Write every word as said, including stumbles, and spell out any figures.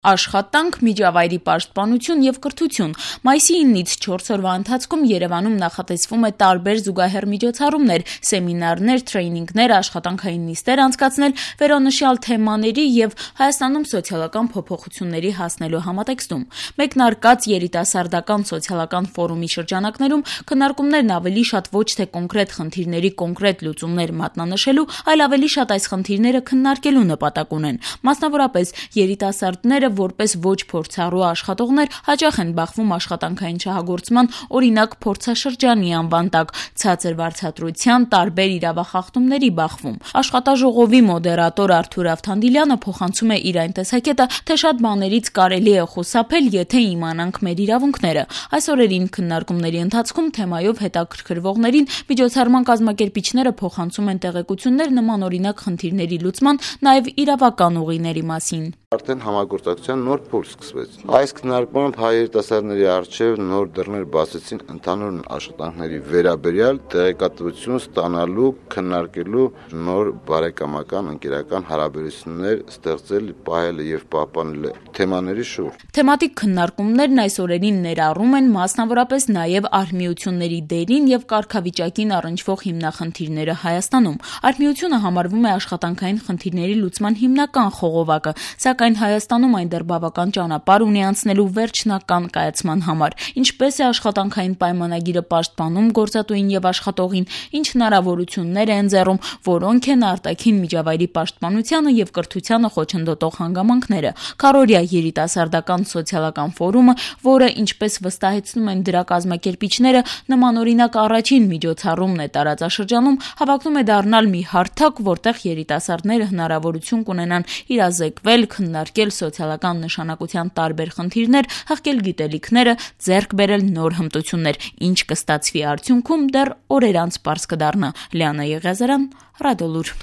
Աշխատանք, միջավայրի պաշտպանություն և կրթություն։ Մայիսի իննից չորս օրվա ընթացքում Երևանում նախատեսվում է տարբեր զուգահեռ միջոցառումներ, սեմինարներ, թրեյնինգներ, աշխատանքային նիստեր անցկացնել վերոնշյալ թեմաների և Հայաստանում սոցիալական փոփոխությունների հասնելու համատեքստում։ Մեկնարկած երիտասարդական սոցիալական ֆորումի շրջանակներում քննարկումներն ավելի շատ ոչ թե կոնկրետ խնդիրների կոնկրետ լուծումներ մատնանշելու, այլ ավելի շատ այս խնդիրները քննարկելու նպատակ ունեն։ Մասնավորապես երիտասարդները որպես ոչ փորձառու աշխատողներ հաճախ են բախվում աշխատանքային շահագործման օրինակ փորձաշրջանի անվան տակ, ցածր վարձատրության, տարբեր իրավախախտումների բախվում։ Աշխատաժողովի մոդերատոր Արթուր Ավթանդիլյանը փոխանցում է իր այն տեսակետը, թե շատ բաներից կարելի է խուսափել, եթե իմանանք մեր իրավունքները։ Այս օրերին քննարկումների ընթացքում թեմայով հետաքրքրվողներին միջոցառման կազմակերպիչները փոխանցում են տեղեկություններ նմանօրինակ խնդիրների լուծման, նաև իրավական ուղիների մասին։ Արդեն համագործակցության նոր փուլ սկսվեց։ Այս քննարկմամբ հայ երիտասարդների առջև նոր դռներ բացեցին ընդհանուր աշխատանքների վերաբերյալ տեղեկատվություն ստանալու, քննարկելու, նոր բարեկամական, ընկերական հարաբերություններ ստեղծել, պահել եւ պահպանել թեմաների շուրջ։ Թեմատիկ քննարկումներն այս օրերին ներառում են մասնավորապես նաև արհմիությունների դերին եւ կարգավիճակին առնչվող հիմնախնդիրները Հայաստանում։ Արհմիությունը համարվում է աշխատանքային խնդիրների լուծման հիմնական խողովակը, սակայն Հայաստանում այն դեռ բավական ճանապարհ ունի անցնելու վերջնական կայացման համար։ Ինչպես է աշխատանքային պայմանագիրը պաշտպանում գործատուին եւ աշխատողին, ինչ հնարավորություններ է ընձեռում, որոնք են արտաքին միջավայրի պաշտպանությանը եւ կրթությանը խոչընդոտող հանգամանքները։ Քառօրյա երիտասարդական սոցիալական ֆորումը, որը, ինչպես վստահեցնում են դրա կազմակերպիչները, նմանօրինակ առաջին միջոցառումն է տարածաշրջանում, հավակնում է դառնալ մի հարթակ, որտեղ երիտասարդները հնարավորություն կունենան իրազեկվել, քննարկել սոցիալական նշանակության տարբեր խնդիրներ, հղկել գիտելիքները, ձեռք բերել նոր հմտություններ, ինչ կստացվի արդյունքում դեռ օրեր անց պարզ կդառնա։ Լիանա Եղիազարյան, Ռադիոլուր։